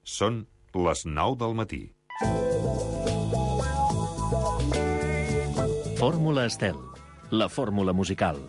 Són les 9 del matí. Fórmula Estel, la fórmula musical.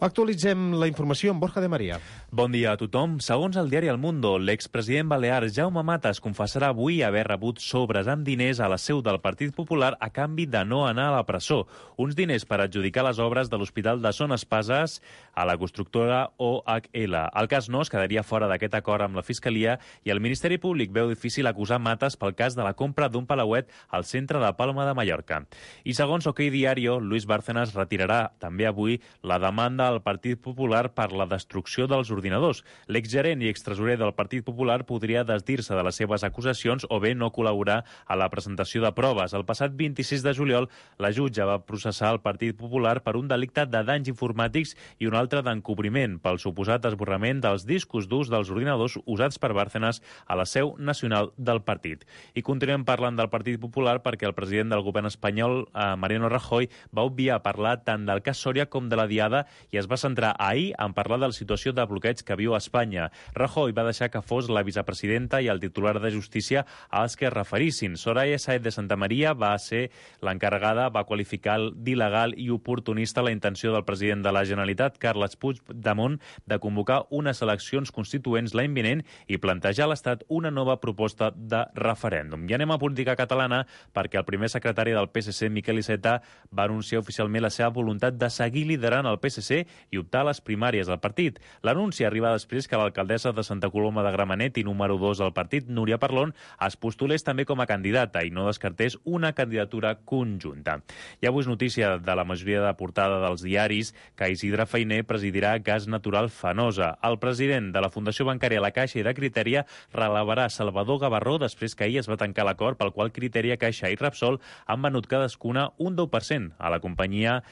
Actualitzem la informació amb Borja de Maria. Bon dia a tothom. Segons el diari El Mundo, l'expresident balear Jaume Matas confessarà avui haver rebut sobres amb diners a la seu del Partit Popular a canvi de no anar a la presó. Uns diners per adjudicar les obres de l'Hospital de Son Espases a la constructora OHL. El cas no es quedaria fora d'aquest acord amb la Fiscalia i el Ministeri Públic veu difícil acusar Matas pel cas de la compra d'un palauet al centre de Palma de Mallorca. I segons OK Diario, Luis Bárcenas retirarà també avui la demanda al Partit Popular per la destrucció dels ordinadors. L'exgerent i extresorer del Partit Popular podria desdir-se de les seves acusacions o bé no col·laborar a la presentació de proves. El passat 26 de juliol, la jutge va processar el Partit Popular per un delicte de danys informàtics i un altre d'encobriment pel suposat esborrament dels discos durs dels ordinadors usats per Bárcenas a la seu nacional del partit. I continuem parlant del Partit Popular perquè el president del govern espanyol, Mariano Rajoy, va obviar parlar tant del cas Sòria com de la Diada i es va centrar ahir en parlar de la situació de bloqueig que viu a Espanya. Rajoy va deixar que fos la vicepresidenta i el titular de Justícia als que es referissin. Soraya Sáenz de Santamaría va ser l'encarregada, va qualificar d'il·legal i oportunista la intenció del president de la Generalitat, Carles Puigdemont, de convocar unes eleccions constituents l'any vinent i plantejar a l'Estat una nova proposta de referèndum. I anem a política catalana perquè el primer secretari del PSC, Miquel Iceta, va anunciar oficialment la seva voluntat de seguir liderant el PSC i optar a les primàries del partit. L'anunci arriba després que l'alcaldessa de Santa Coloma de Gramenet i número 2 del partit, Núria Parlon, es postulés també com a candidata i no descartés una candidatura conjunta. I avui és notícia de la majoria de portada dels diaris que Isidre Fainé presidirà Gas Natural Fenosa. El president de la Fundació Bancària La Caixa i de Criteria relevarà Salvador Gavarró després que ahir es va tancar l'acord pel qual Criteria, Caixa i Repsol han venut cadascuna un 10% a la companyia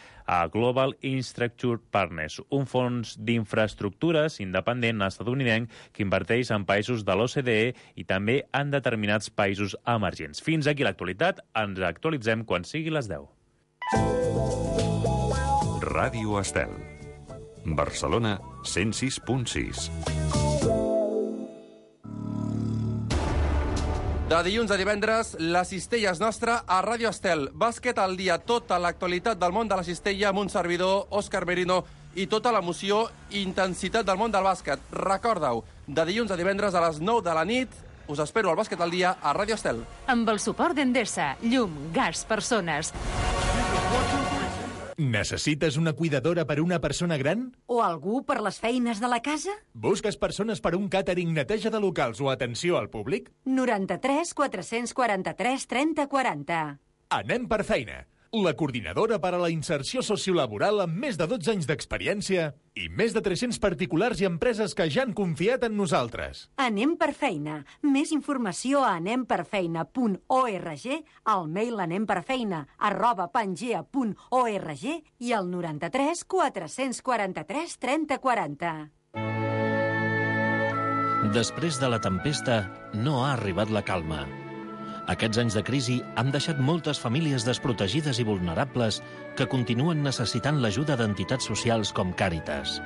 Global Infrastructure Partners, un fons d'infraestructures independent estatunidenc que inverteix en països de l'OCDE i també en determinats països emergents. Fins aquí l'actualitat. Ens actualitzem quan sigui les 10. Ràdio Estel. Barcelona 106.6. De dilluns a divendres, la cistella és nostra a Ràdio Estel. Bàsquet al dia, tota l'actualitat del món de la cistella amb un servidor, Òscar Merino, i tota l'emoció i intensitat del món del bàsquet. Recorda-ho, de dilluns a divendres a les 9 de la nit, us espero al Bàsquet al dia a Ràdio Estel. Amb el suport d'Endesa, llum, gas, persones. Necessites una cuidadora per una persona gran? O algú per les feines de la casa? Busques persones per un càtering, neteja de locals o atenció al públic? 93 443 30 40. Anem per feina. La coordinadora per a la inserció sociolaboral amb més de 12 anys d'experiència i més de 300 particulars i empreses que ja han confiat en nosaltres. Anem per feina. Més informació a anemperfeina.org, al mail anemperfeina@pangea.org i al 93 443 30 40. Després de la tempesta, no ha arribat la calma. Aquests anys de crisi han deixat moltes famílies desprotegides i vulnerables que continuen necessitant l'ajuda d'entitats socials com Càritas.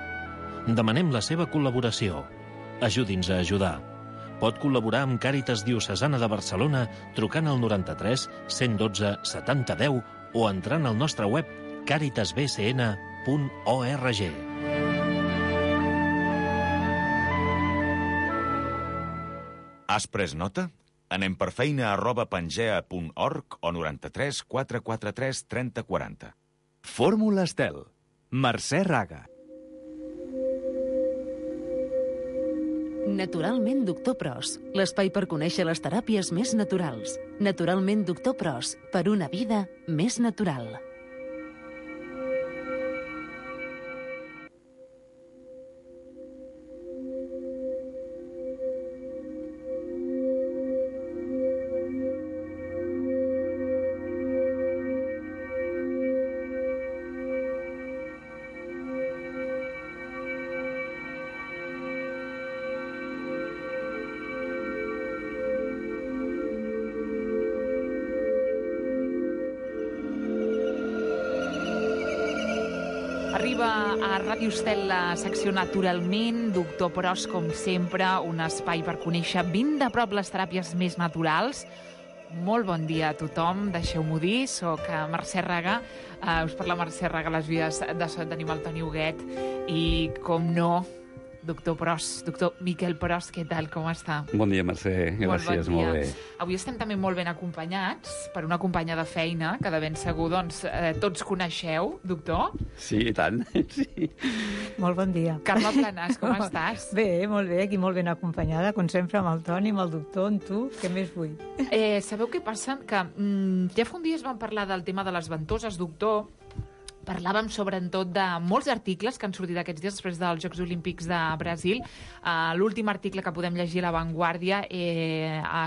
Demanem la seva col·laboració. Ajudi'ns a ajudar. Pot col·laborar amb Càritas Diocesana de Barcelona trucant al 93 112 70 10 o entrant al nostre web caritasbcn.org. Has pres nota? Anem per feina@pangea.org o 93 443 30 40. Fórmula Estel. Mercè Raga. Naturalment Doctor Pros, l'espai per conèixer les teràpies més naturals. Naturalment Doctor Pros, per una vida més natural. arriba a Ràdio Estel la secció Naturalment. Doctor Pros, com sempre, un espai per conèixer ben de prop les teràpies més naturals. Molt bon dia a tothom, deixeu-m'ho dir, soc Mercè Raga, us parla Mercè Raga, les vies de so tenim el Toni Huguet i, com no, doctor Pros, doctor Miquel Pros, què tal, com està? Bon dia, Mercè, gràcies, molt bé. Avui estem també molt ben acompanyats per una companya de feina que de ben segur doncs, tots coneixeu, doctor. Sí, i tant, sí. Molt bon dia. Carme Planàs, com estàs? Bé, molt bé, aquí molt ben acompanyada, com sempre, amb el Toni, amb el doctor, amb tu, què més vull? Sabeu què passa? Que ja fa un dia es van parlar del tema de les ventoses, doctor. Parlàvem sobretot de molts articles que han sortit aquests dies després dels Jocs Olímpics de Brasil. L'últim article que podem llegir a La Vanguardia,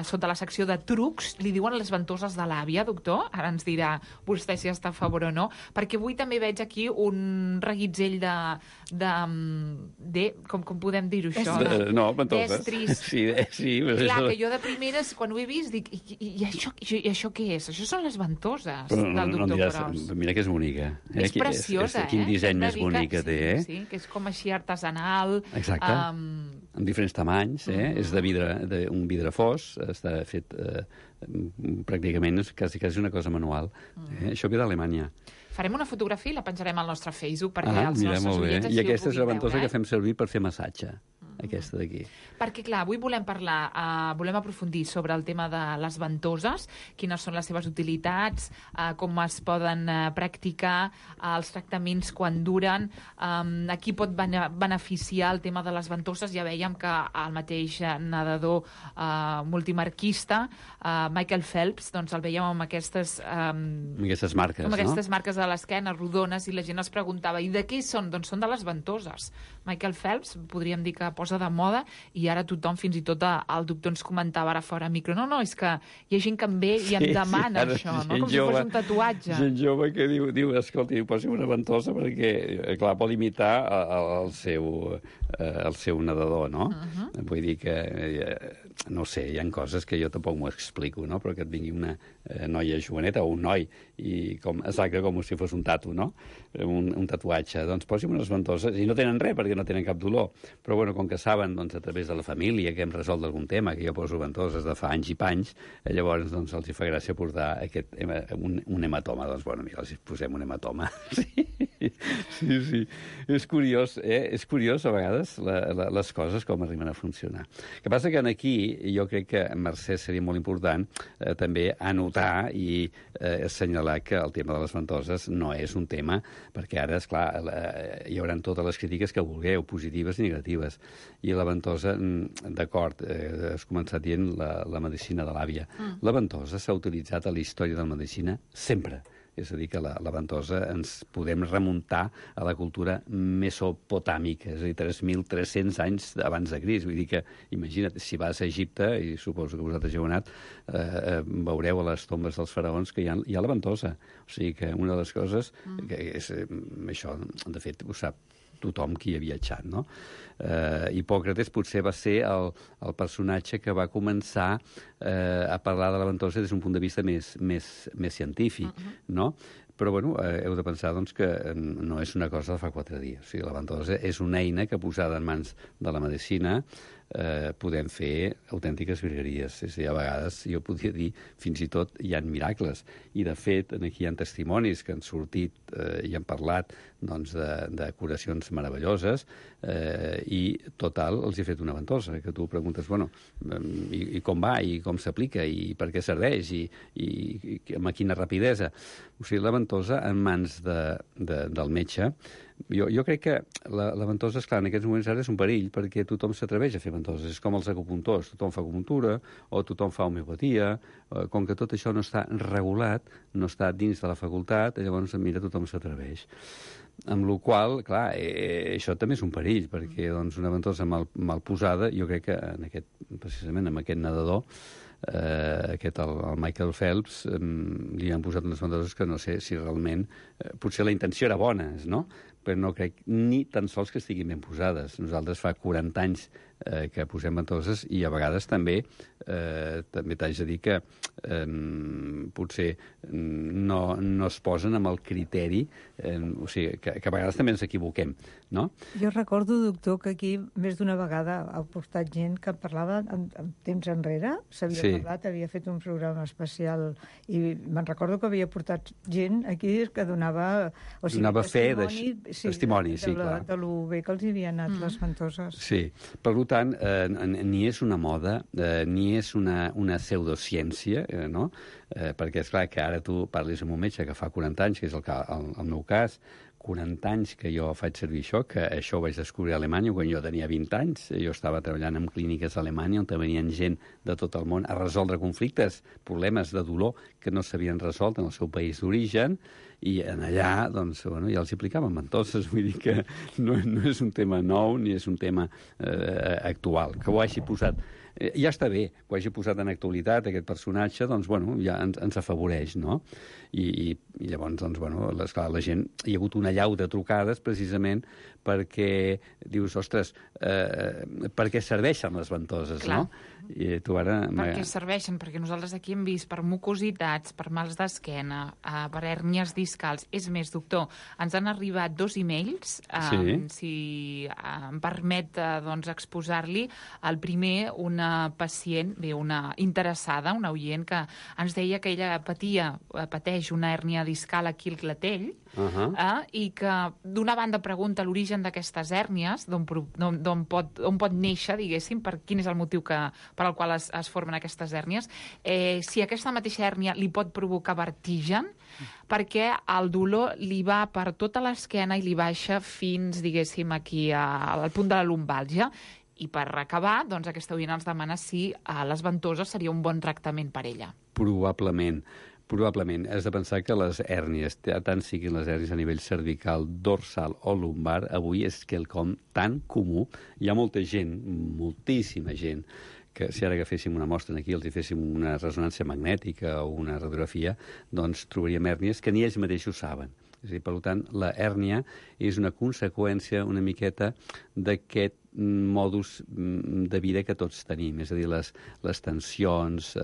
sota la secció de trucs, li diuen les ventoses de l'àvia, doctor. Ara ens dirà vostè si està a favor o no. Perquè avui també veig aquí un reguitzell de com podem dir-ho, això? No, ventoses. D'estris. Sí. Clar, que jo de primeres, quan ho he vist, dic, i això què és? Això són les ventoses del doctor Pros. Mira que és bonica. És preciosa, Quin disseny més bonic que té, eh? Sí, que és com així artesanal. Exacte, amb diferents tamanys, és de vidre, un vidre fos, està fet pràcticament, és quasi una cosa manual. Això ve d'Alemanya. Farem una fotografia i la penjarem al nostre Facebook perquè els nostres oients I aquesta és la ventosa que fem servir per fer massatge. Aquesta d'aquí. Perquè, clar, avui volem parlar, volem aprofundir sobre el tema de les ventoses, quines són les seves utilitats, com es poden practicar, els tractaments quan duren, a qui pot beneficiar el tema de les ventoses. Ja vèiem que el mateix nedador multimarquista, Michael Phelps, doncs el vèiem amb aquestes marques, amb aquestes marques a l'esquena, rodones, i la gent es preguntava, i de què són? Doncs són de les ventoses. Michael Phelps, podríem dir que posa de moda, i ara tothom, fins i tot el doctor ens comentava ara fora micro, no, és que hi ha gent que em ve i em demana això, no? Com si fos un tatuatge. Gent jove que diu escolti, posi una ventosa perquè, clar, pot imitar el seu nedador, no? Vull dir que, no sé, hi ha coses que jo tampoc m'ho explico, no? Però que et vingui una noia joveneta o un noi, exacte com si fos un tatu, no? Un tatuatge. Doncs posi'm unes ventoses, i no tenen res perquè no tenen cap dolor, però bueno, com que saben, doncs, a través de la família que hem resolt algun tema, que jo poso ventoses de fa anys i panys, llavors doncs, els fa gràcia portar un hematoma. Doncs, bueno, mira, els posem un hematoma. Sí. És curiós, És curiós, a vegades, les coses com arriben a funcionar. El que passa que aquí jo crec que, Mercè, seria molt important també anotar i assenyalar que el tema de les ventoses no és un tema, perquè ara, esclar, hi haurà totes les crítiques que vulgueu, positives i negatives. I la ventosa, d'acord, has començat dient la medicina de l'àvia. La ventosa s'ha utilitzat a la història de la medicina sempre. És a dir, que la ventosa ens podem remuntar a la cultura mesopotàmica, és a dir, 3.300 anys abans de Crist. Vull dir que, imagina't, si vas a Egipte, i suposo que vosaltres heu anat, veureu a les tombes dels faraons que hi ha la ventosa. O sigui que una de les coses, que és això, de fet, ho sap tothom qui ha viatjat, no? Hipòcrates potser va ser el personatge que va començar a parlar de la ventosa des d'un punt de vista més científic, no? Però, bueno, heu de pensar doncs, que no és una cosa de fa 4 dies. O sigui, la ventosa és una eina que, posada en mans de la medicina, podem fer autèntiques virgueries. És a dir, a vegades, jo podria dir, fins i tot hi ha miracles. I, de fet, aquí hi ha testimonis que han sortit i han parlat doncs, de curacions meravelloses i, total, els he fet una ventosa, que tu preguntes, bueno, i com va, i com s'aplica, i per què serveix, i amb quina rapidesa. O sigui, la ventosa en mans del metge. Jo crec que la ventosa, esclar, en aquests moments ara és un perill, perquè tothom s'atreveix a fer ventoses. És com els acupuntors, tothom fa acupuntura, o tothom fa homeopatia. Com que tot això no està regulat, no està dins de la facultat, llavors, mira, tothom s'atreveix. Amb la qual cosa, clar, això també és un perill, perquè doncs, una ventosa mal posada, jo crec que precisament amb aquest nedador, el Michael Phelps, li han posat unes ventoses que no sé si realment... potser la intenció era bona, no? Però no crec ni tan sols que estiguin ben posades. Nosaltres fa 40 anys que posem ventoses i a vegades també t'haig de dir que potser no es posen amb el criteri, o sigui, que a vegades també ens equivoquem, no? Jo recordo, doctor, que aquí més d'una vegada ha portat gent que parlava en temps enrere, s'havia parlat, havia fet un programa especial i me'n recordo que havia portat gent aquí que donava testimoni, sí, clar. De lo bé que els hi havien anat les ventoses. Sí, per tant, ni és una moda, ni és una pseudociència, no? Perquè, esclar, que ara tu parlis amb un metge que fa 40 anys, que és el meu cas, 40 anys que jo faig servir això, que això ho vaig descobrir a Alemanya quan jo tenia 20 anys. Jo estava treballant en clíniques a Alemanya on venien gent de tot el món a resoldre conflictes, problemes de dolor que no s'havien resolt en el seu país d'origen, i en allà, doncs, bueno, ja els explicaven ventoses, vull dir que no és un tema nou ni és un tema actual. Que ho hagi posat... Ja està bé que ho hagi posat en actualitat, aquest personatge, doncs, bueno, ja ens afavoreix, no? I llavors, doncs, bueno, esclar, la gent... Hi ha hagut una allau de trucades, precisament, perquè dius, ostres, per què serveixen les ventoses, clar, no? I tu ara... Per què serveixen? Perquè nosaltres aquí hem vist per mucositats, per mals d'esquena, per hèrnies discals. És més, doctor, ens han arribat 2 e-mails, si em permet doncs, exposar-li. El primer, una pacient, una interessada, una oient, que ens deia que ella pateix una hèrnia discal aquí al clatell, i que d'una banda pregunta l'origen d'aquestes hèrnies, d'on pot néixer, diguéssim, quin és el motiu per al qual es formen aquestes hèrnies, si aquesta mateixa hèrnia li pot provocar vertigen, perquè el dolor li va per tota l'esquena i li baixa fins, diguéssim, aquí al punt de la lumbàlgia. I per acabar, doncs, aquesta oient ens demana si les ventoses seria un bon tractament per ella. Probablement. Has de pensar que les hèrnies, tant siguin les hèrnies a nivell cervical, dorsal o lumbar, avui és quelcom tan comú. Hi ha molta gent, moltíssima gent, que si ara agaféssim una mostra aquí, els hi féssim una ressonància magnètica o una radiografia, doncs trobaríem hèrnies que ni ells mateixos saben. És a dir, per tant, la hèrnia és una conseqüència una miqueta d'aquest modus de vida que tots tenim, és a dir, les tensions,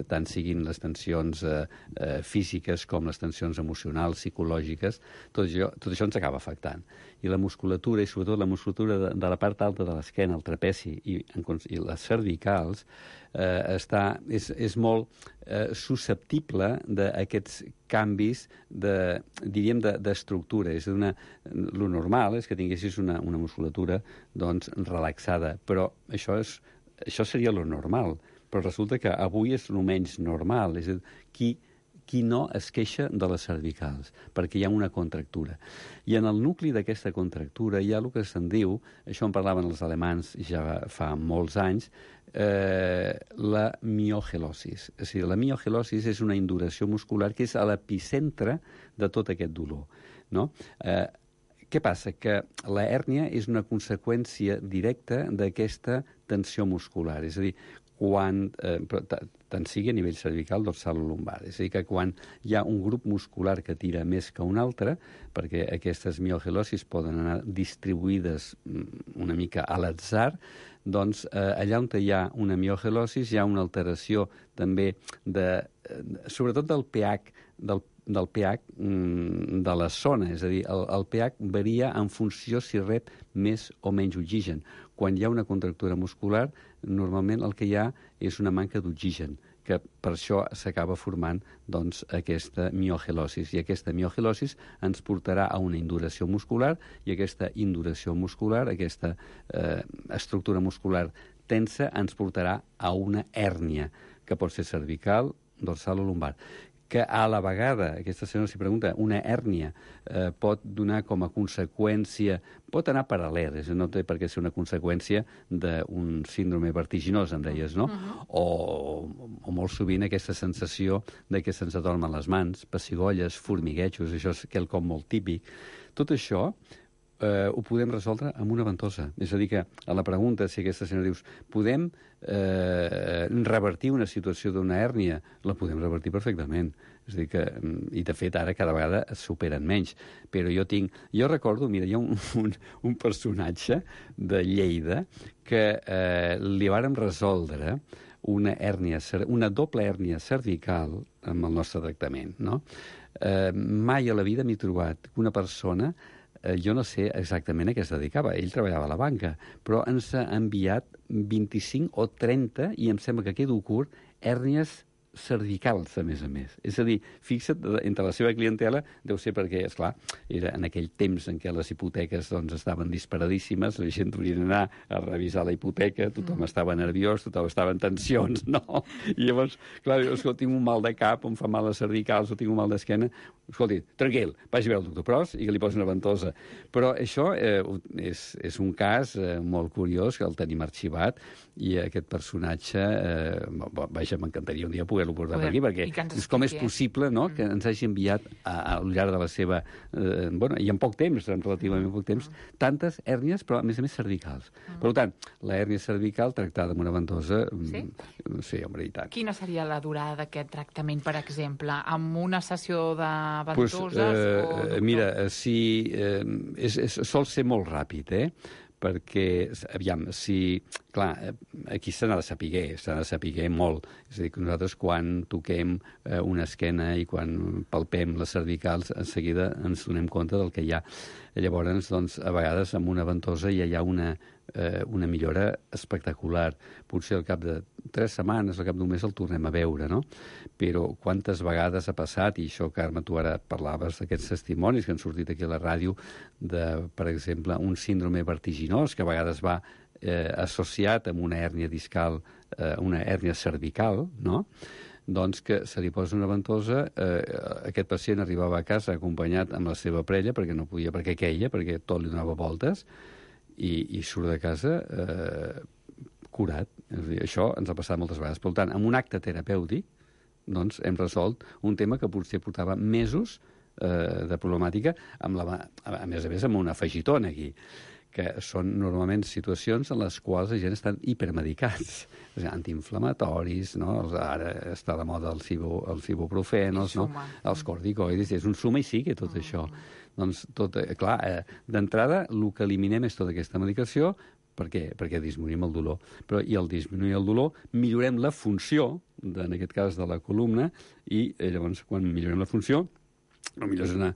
tant siguin les tensions físiques com les tensions emocionals, psicològiques, tot això ens acaba afectant. I la musculatura, i sobretot la musculatura de la part alta de l'esquena, el trapeci i les cervicals, és molt susceptible d'aquests canvis d'estructura. És a dir, lo normal és que tinguessis una musculatura doncs, relaxada, però això seria lo normal. Però resulta que avui és el menys normal. És a dir, qui no es queixa de les cervicals, perquè hi ha una contractura. I en el nucli d'aquesta contractura hi ha el que se'n diu, això en parlaven els alemans ja fa molts anys, la miogelosis. És a dir, la miogelosis és una induració muscular que és a l'epicentre de tot aquest dolor, no? Què passa? Que la hèrnia és una conseqüència directa d'aquesta tensió muscular. És a dir, tant sigui a nivell cervical, dorsal o lumbar. És a dir, que quan hi ha un grup muscular que tira més que un altre, perquè aquestes miogelosis poden anar distribuïdes una mica a l'atzar, doncs allà on hi ha una miogelosis hi ha una alteració també sobretot del pH, del pH de la zona, és a dir, el pH varia en funció si rep més o menys oxigen. Quan hi ha una contractura muscular, normalment el que hi ha és una manca d'oxigen, que per això s'acaba formant doncs, aquesta miogelosis. I aquesta miogelosis ens portarà a una induració muscular, i aquesta induració muscular, aquesta estructura muscular tensa, ens portarà a una hèrnia, que pot ser cervical, dorsal o lumbar. Que a la vegada, aquesta senyora s'hi pregunta, una hèrnia pot donar com a conseqüència, pot anar paral·lel, no té per què ser una conseqüència d'un síndrome vertiginós, em deies, no? O molt sovint aquesta sensació de que se'ns adormen les mans, pessigolles, formiguejos, això és quelcom molt típic. Tot això ho podem resoldre amb una ventosa. És a dir, que a la pregunta, si aquesta senyora dius, podem revertir una situació d'una hèrnia? La podem revertir perfectament. És a dir que, i de fet, ara cada vegada es superen menys. Però jo recordo, mira, hi ha un personatge de Lleida que li vàrem resoldre una doble hèrnia cervical amb el nostre tractament, no? Mai a la vida m'he trobat una persona, jo no sé exactament a què es dedicava, ell treballava a la banca, però ens ha enviat 25 o 30, i em sembla que quedo curt, hèrnies cervicals, a més. És a dir, fixa't, entre la seva clientela, deu ser perquè, esclar, era en aquell temps en què les hipoteques estaven disparadíssimes, la gent hauria d'anar a revisar la hipoteca, tothom estava nerviós, tothom estava en tensions, no? I llavors, clar, escolta, tinc un mal de cap, em fa mal les cervicals o tinc un mal d'esquena, escolti, tranquil, vagi a veure el doctor Pros i que li posi una ventosa. Però això és un cas molt curiós, que el tenim arxivat, i aquest personatge, vaja, m'encantaria un dia poder-lo portar per aquí, perquè com és possible, no?, que ens hagi enviat al llarg de la seva... i en poc temps, relativament poc temps, tantes hèrnies, però a més cervicals. Per tant, la hèrnia cervical tractada amb una ventosa... Sí, home, i tant. Quina seria la durada d'aquest tractament, per exemple? Amb una sessió de ventoses? Mira, sol ser molt ràpid, perquè, aviam, clar, aquí s'ha de saber molt. És a dir, que nosaltres quan toquem una esquena i quan palpem les cervicals, en seguida ens donem compte del que hi ha. Llavors, doncs, a vegades amb una ventosa ja hi ha una millora espectacular. Potser al cap de 3 setmanes, al cap d'un mes el tornem a veure, no? Però quantes vegades ha passat, i això, Carme, tu ara parlaves d'aquests testimonis que han sortit aquí a la ràdio, per exemple, un síndrome vertiginós, que a vegades va associat amb una hèrnia discal, una hèrnia cervical, no?, doncs que se li posa una ventosa, aquest pacient arribava a casa acompanyat amb la seva parella, perquè no podia, perquè queia, perquè tot li donava voltes, i surt de casa curat. És a dir, això ens ha passat moltes vegades. Per tant, amb un acte terapèutic, doncs hem resolt un tema que potser portava mesos de problemàtica, a més amb un afegitó aquí, que són normalment situacions en les quals la gent estan hipermedicats, antiinflamatoris, no? Ara està de moda els ibuprofenos, no? Els corticoides, és un suma i sigue tot això. Doncs, clar, d'entrada, el que eliminem és tota aquesta medicació, perquè disminuïm el dolor. Però, i al disminuir el dolor, millorem la funció, en aquest cas de la columna, i llavors, quan millorem la funció, potser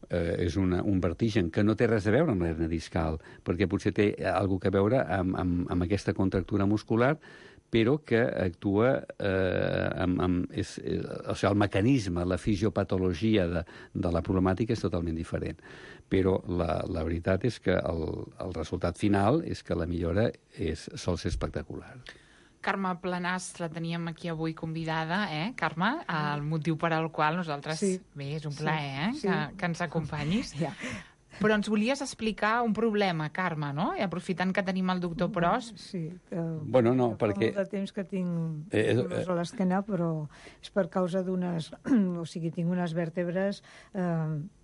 és un vertigen que no té res a veure amb l'hèrnia discal, perquè potser té alguna cosa a veure amb aquesta contractura muscular, però que actua el mecanisme, la fisiopatologia de la problemàtica és totalment diferent. Però la veritat és que el resultat final és que la millora sol ser espectacular. Carme Planàs la teníem aquí avui convidada, Carme? El motiu per al qual nosaltres... Bé, és un plaer, que ens acompanyis. Però ens volies explicar un problema, Carme, no? I aprofitant que tenim el doctor Pros... Sí, bueno, no, perquè... Fa molt de temps que tinc dolors a l'esquena, però és per causa d'unes... O sigui, tinc unes vèrtebres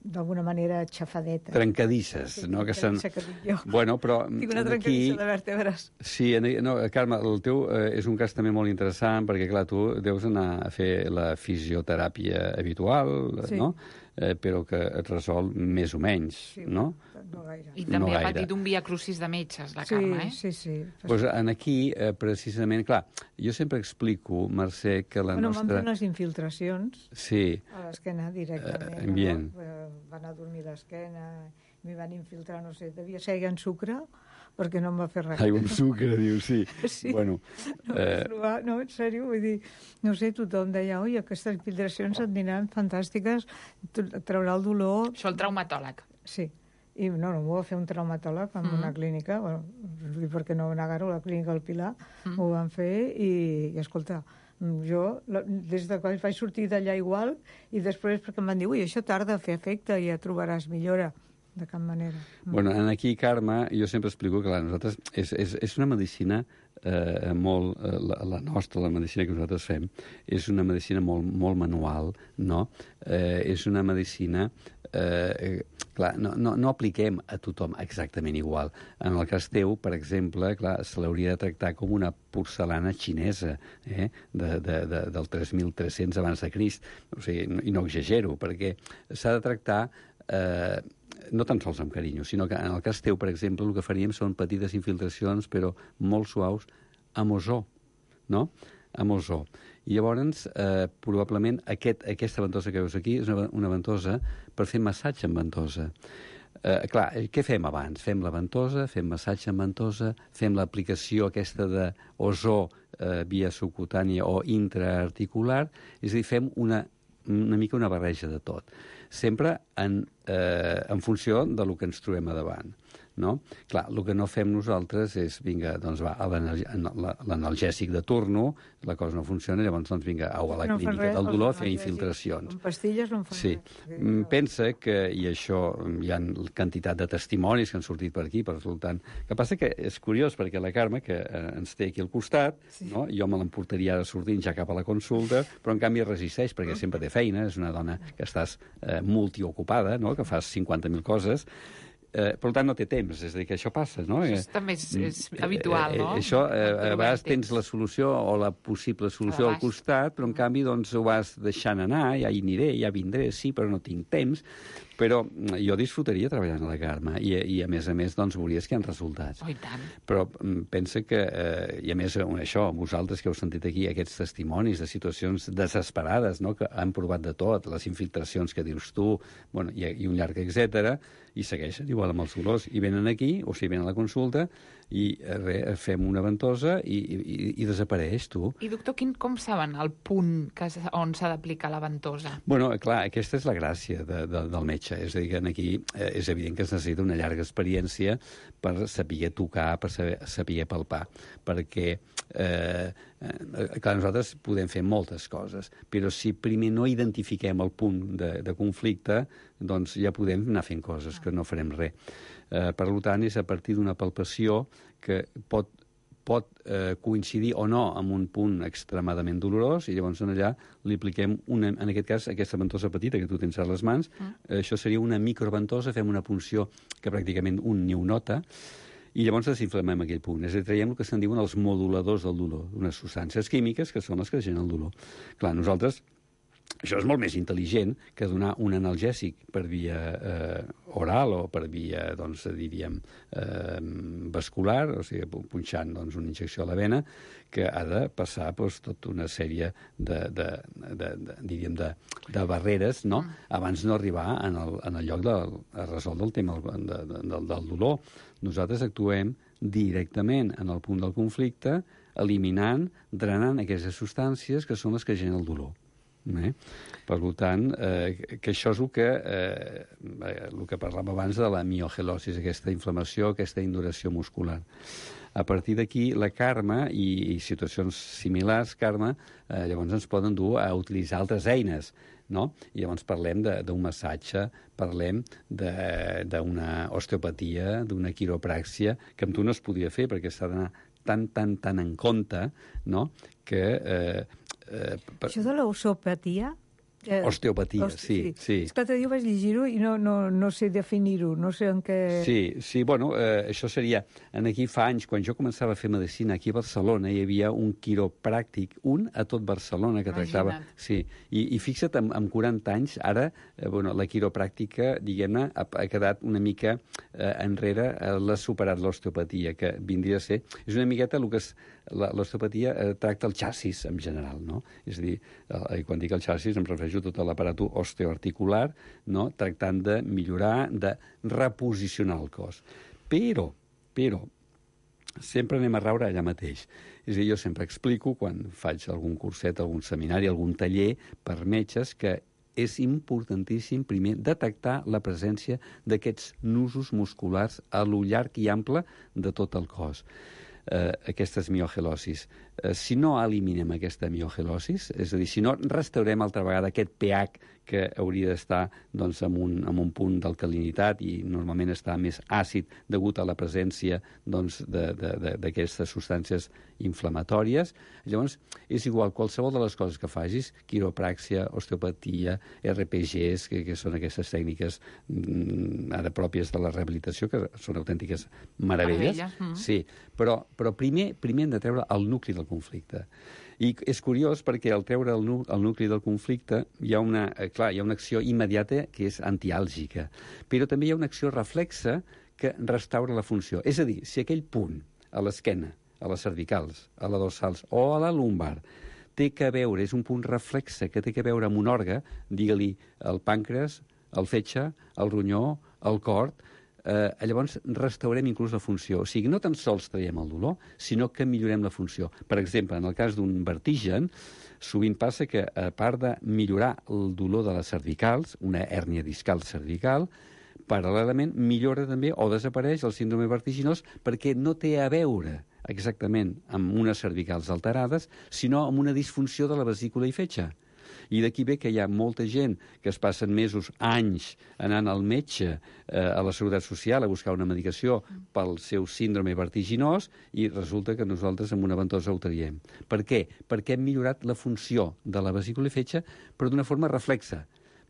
d'alguna manera xafadetes. Trencadisses, no? Que dic jo. Bueno, però... Tinc una trencadissa de vèrtebres. Sí, no, Carme, el teu és un cas també molt interessant, perquè, clar, tu deus anar a fer la fisioteràpia habitual, no? Però que et resol més o menys, no? No gaire. I també ha patit un viacrucis de metges, la Carme, Sí. Doncs aquí, precisament, clar, jo sempre explico, Mercè, que la nostra... M'han fet unes infiltracions a l'esquena directament. Van a dormir l'esquena, m'hi van infiltrar, no sé, devia ser en sucre, perquè no em va fer res. Aigua amb sucre, dius, sí. Bueno, no, en sèrio, vull dir, no sé, tothom deia, oi, aquestes infiltracions et aniran fantàstiques, traurà el dolor... Això el traumatòleg. Sí, i no m'ho va fer un traumatòleg en una clínica, bueno, perquè no negar-ho, la clínica del Pilar, m'ho van fer i escolta, jo, des de quan vaig sortir d'allà igual, i després perquè em van dir, ui, això tarda a fer efecte i ja trobaràs millora. De cap manera. Bueno, aquí, Carme, jo sempre explico que nosaltres és una medicina molt... La nostra, la medicina que nosaltres fem, és una medicina molt manual, no? És una medicina clar, no apliquem a tothom exactament igual. En el cas teu, per exemple, clar, se l'hauria de tractar com una porcelana xinesa del 3.300 abans de Crist. O sigui, i no exagero, perquè s'ha de tractar no tan sols amb carinyo, sinó que en el cas teu, per exemple, el que faríem són petites infiltracions, però molt suaus, amb ozó, no? Amb ozó. I llavors, probablement, aquesta ventosa que veus aquí és una ventosa per fer massatge amb ventosa. Clar, què fem abans? Fem la ventosa, fem massatge amb ventosa, fem l'aplicació aquesta d'ozó via subcutània o intraarticular, és a dir, fem una mica una barreja de tot. Sempre en funció del que ens trobem a davant. No? Clar, el que no fem nosaltres és, vinga, doncs va, l'analgèsic de turno, la cosa no funciona, llavors, doncs vinga, au a la clínica del dolor a fer infiltracions. Amb pastilles no en fan res. Sí. Pensa que, i això, hi ha quantitat de testimonis que han sortit per aquí, per resultant. El que passa que és curiós, perquè la Carme, que ens té aquí al costat, no? Jo me l'emportaria ara sortint ja cap a la consulta, però en canvi resisteix, perquè sempre té feina, és una dona que estàs multiocupada, no? Que fas 50.000 coses, per tant no té temps, és a dir, que això passa, no? Això també és habitual, no? Això, a vegades tens la solució o la possible solució al costat, però en canvi doncs ho vas deixant anar, ja hi aniré, ja vindré, sí, però no tinc temps. Però jo disfrutaria treballant a la Carme i a més, doncs, veuries que hi ha resultats. Oh, i tant. Però pensa que, i a més, això, vosaltres que heu sentit aquí aquests testimonis de situacions desesperades, no?, que han provat de tot, les infiltracions que dius tu, bueno, i un llarg etcètera, i segueixen igual amb els dolors. I venen aquí, o sigui, venen a la consulta, i fem una ventosa i desapareix, tu. I, doctor, com saben el punt on s'ha d'aplicar la ventosa? Bueno, clar, aquesta és la gràcia del metge. És a dir, que aquí és evident que es necessita una llarga experiència per saber tocar, per saber palpar. Perquè, clar, nosaltres podem fer moltes coses, però si primer no identifiquem el punt de conflicte, doncs ja podem anar fent coses que no farem res. Per tant, és a partir d'una palpació que pot coincidir o no amb un punt extremadament dolorós i llavors allà li apliquem, en aquest cas, aquesta ventosa petita que tu tens a les mans. Això seria una microventosa, fem una punció que pràcticament un ni ho nota, i llavors desinflamem aquell punt. És a dir, traiem el que se'n diuen els moduladors del dolor, unes substàncies químiques que són les que generen el dolor. Clar, nosaltres això és molt més intel·ligent que donar un analgèsic per via oral o per via, doncs, diríem, vascular, o sigui, punxant doncs, una injecció a la vena, que ha de passar tota una sèrie de barreres, no?, abans no arribar en el lloc a resoldre el tema del dolor. Nosaltres actuem directament en el punt del conflicte, eliminant, drenant aquestes substàncies que són les que generen el dolor. Per tant, que això és el que parlàvem abans de la miogelosis, aquesta inflamació, aquesta induració muscular. A partir d'aquí, la Carme i situacions similars, Carme, llavors ens poden dur a utilitzar altres eines, no? I llavors parlem d'un massatge, parlem d'una osteopatia, d'una quiropràxia, que amb tu no es podia fer perquè s'ha d'anar tan en compte, no?, que... Això de l'osteopatia... Osteopatia, sí. És que l'altre dia vaig llegir-ho i no sé definir-ho, no sé en què... Sí, bueno, això seria... Aquí fa anys, quan jo començava a fer medicina aquí a Barcelona, hi havia un quiropràctic, a tot Barcelona, que tractava... Sí, i fixa't, amb 40 anys, ara, la quiropràctica, diguem-ne, ha quedat una mica enrere, l'ha superat l'osteopatia, que vindria a ser... És una miqueta el que l'osteopatia tracta el xassis, en general, no? És a dir, quan dic el xassis em refereixo a tot l'aparato osteoarticular, no?, tractant de millorar, de reposicionar el cos. Però, sempre anem a raure allà mateix. És a dir, jo sempre explico, quan faig algun curset, algun seminari, algun taller per metges, que és importantíssim, primer, detectar la presència d'aquests nusos musculars a lo llarg i ample de tot el cos. Aquestes miogelosis. si no eliminem aquesta miogelosis, és a dir, si no restaurem altra vegada aquest pH que hauria d'estar doncs, en un punt d'alcalinitat i normalment està més àcid degut a la presència doncs, d'aquestes substàncies inflamatòries, llavors és igual qualsevol de les coses que facis, quiropràxia, osteopatia, RPGs, que són aquestes tècniques ara pròpies de la rehabilitació, que són autèntiques meravelles. Sí, però primer hem de treure el nucli del conflicte. I és curiós perquè al treure el nucli del conflicte hi ha una acció immediata que és antiàlgica, però també hi ha una acció reflexa que restaura la funció. És a dir, si aquell punt a l'esquena, a les cervicals, a la dorsals o a la lumbar té que veure, és un punt reflexe que té que veure amb un òrgan, digue-li el pàncreas, el fetge, el ronyó, el cor, llavors restaurem inclús la funció. O sigui, no tan sols traiem el dolor, sinó que millorem la funció. Per exemple, en el cas d'un vertigen, sovint passa que, a part de millorar el dolor de les cervicals, una hèrnia discal cervical, paral·lelament millora també o desapareix el síndrome vertiginós perquè no té a veure exactament amb unes cervicals alterades, sinó amb una disfunció de la vesícula i fetge. I d'aquí ve que hi ha molta gent que es passen mesos, anys, anant al metge, a la Seguretat Social, a buscar una medicació pel seu síndrome vertiginós i resulta que nosaltres amb una ventosa ho traiem. Per què? Perquè hem millorat la funció de la vesícula i fetge, però d'una forma reflexa.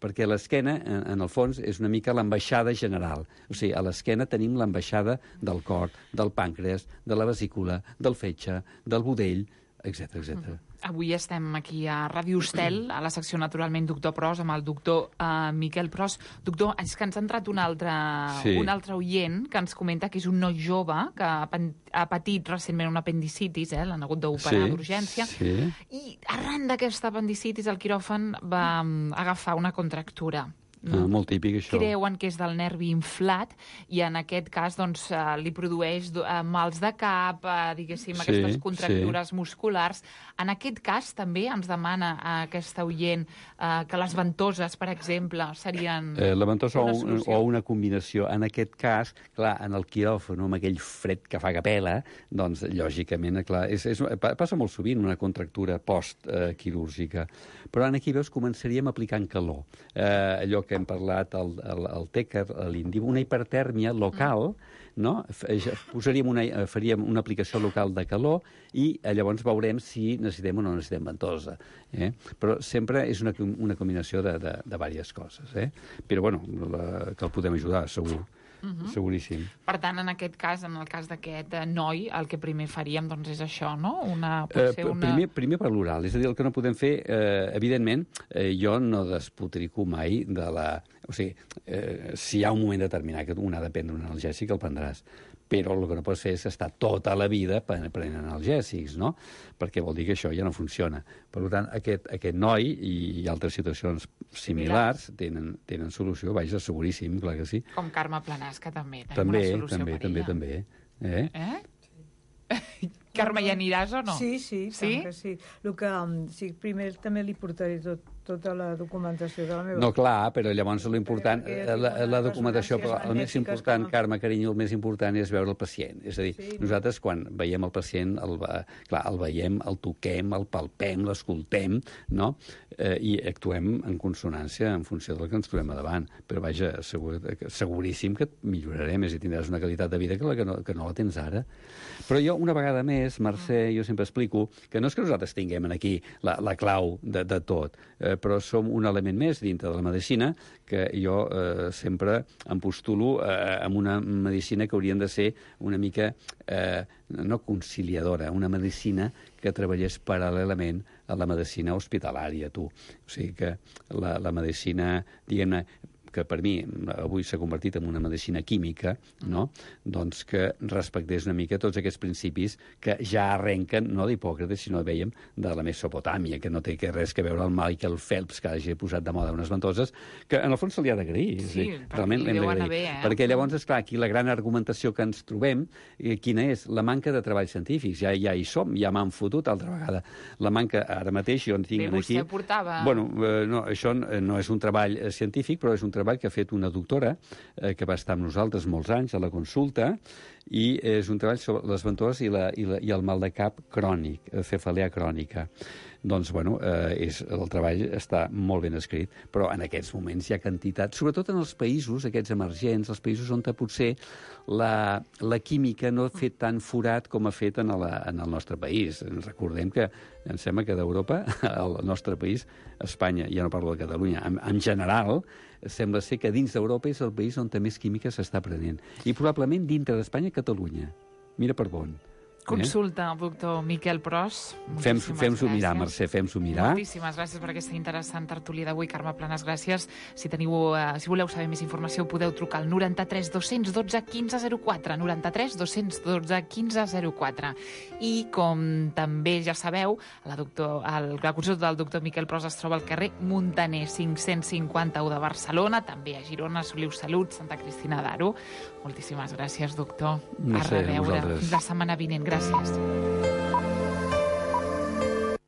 Perquè l'esquena, en el fons, és una mica l'ambaixada general. O sigui, a l'esquena tenim l'ambaixada del cor, del pàncreas, de la vesícula, del fetge, del budell, etc etc. Avui estem aquí a Ràdio Estel, a la secció Naturalment Doctor Pros, amb el doctor Miquel Pros. Doctor, és que ens ha entrat un altre oient que ens comenta que és un noi jove que ha patit recentment una apendicitis, l'han hagut d'operar d'urgència, i arran d'aquesta apendicitis el quiròfan va agafar una contractura. Molt típic, això. Creuen que és del nervi inflat i en aquest cas doncs, li produeix mals de cap, diguéssim, aquestes contractures musculars. En aquest cas també ens demana aquesta oient que les ventoses, per exemple, serien... La ventosa o una combinació. En aquest cas, clar, en el quiròfan, amb aquell fred que fa que pela, doncs, lògicament, clar, passa molt sovint una contractura post-quirúrgica. Però aquí, veus, començaríem aplicant calor. Allò que hem parlat, el tèquer, l'indíbu, una hipertèrmia local, no? Faríem una aplicació local de calor i llavors veurem si necessitem o no necessitem ventosa. Però sempre és una combinació de diverses coses. Però, bueno, que el podem ajudar, segur. Seguríssim. Per tant, en aquest cas, en el cas d'aquest noi, el que primer faríem doncs, és això, no? Primer per l'oral. És a dir, el que no podem fer, evidentment, jo no despotrico mai de la... O sigui, si hi ha un moment determinat que un ha de prendre un analgèsic, el prendràs. Però el que no pots fer és estar tota la vida prenent analgèsics, no? Perquè vol dir que això ja no funciona. Per tant, aquest noi i altres situacions similars tenen solució, vaja, seguríssim, clar que sí. Com Carme Planasca també tenim una solució per ella. També. Carme, hi aniràs o no? Sí, que sí. Primer també li portaré tota la documentació de la meva... No, clar, però llavors l'important, la documentació, però el més important, Carme, carinyo, el més important és veure el pacient. És a dir, nosaltres quan veiem el pacient, el veiem, el toquem, el palpem, l'escoltem, no? I actuem en consonància en funció del que ens trobem a davant. Però, vaja, seguríssim que et millorarem, és a dir, tindràs una qualitat de vida que no la tens ara. Però jo, una vegada més, Mercè, jo sempre explico que no és que nosaltres tinguem aquí la clau de tot, però som un element més dintre de la medicina que jo sempre em postulo amb una medicina que haurien de ser una mica, no conciliadora, una medicina que treballés paral·lelament a la medicina hospitalària, tu. O sigui que la medicina, diguem-ne, que per mi avui s'ha convertit en una medicina química, no? Doncs que respectés una mica tots aquests principis que ja arrenquen, no d'Hipòcrates, sinó, veiem, de la Mesopotàmia, que no té res que veure amb el Michael Phelps, que hagi posat de moda unes ventoses, que en el fons se li ha d'agrair. Sí, realment l'hem d'agrair. Perquè llavors, esclar, aquí la gran argumentació que ens trobem, quina és? La manca de treballs científics. Ja hi som, ja m'han fotut altra vegada. La manca, ara mateix, jo en tinc aquí... Vostè portava... Bueno, no, això no és un treball científic, però és un treball treball que ha fet una doctora que va estar amb nosaltres molts anys a la consulta, i és un treball sobre les ventoses i el mal de cap crònic, cefalea crònica. Doncs, bueno, el treball està molt ben escrit, però en aquests moments hi ha quantitat, sobretot en els països, aquests emergents, els països on potser la química no ha fet tant forat com ha fet en el nostre país. Recordem que, em sembla que d'Europa, el nostre país, Espanya, ja no parlo de Catalunya, en general, sembla ser que dins d'Europa és el país on més química s'està prenent. I probablement dintre d'Espanya, Catalunya. Mira per on. Consulta al doctor Miquel Pros. Fem-s'ho mirar, Mercè, fem-s'ho mirar. Moltíssimes gràcies per aquesta interessant tertúlia d'avui. Carme Planas, gràcies. Si voleu saber més informació, podeu trucar al 93 212 1504, 93 212 1504. I, com també ja sabeu, la consulta del doctor Miquel Pros es troba al carrer Muntaner 551 de Barcelona, també a Girona, Soliu Salut, Santa Cristina d'Aro. Moltíssimes gràcies, doctor. A reveure. Fins la setmana vinent. Gràcies.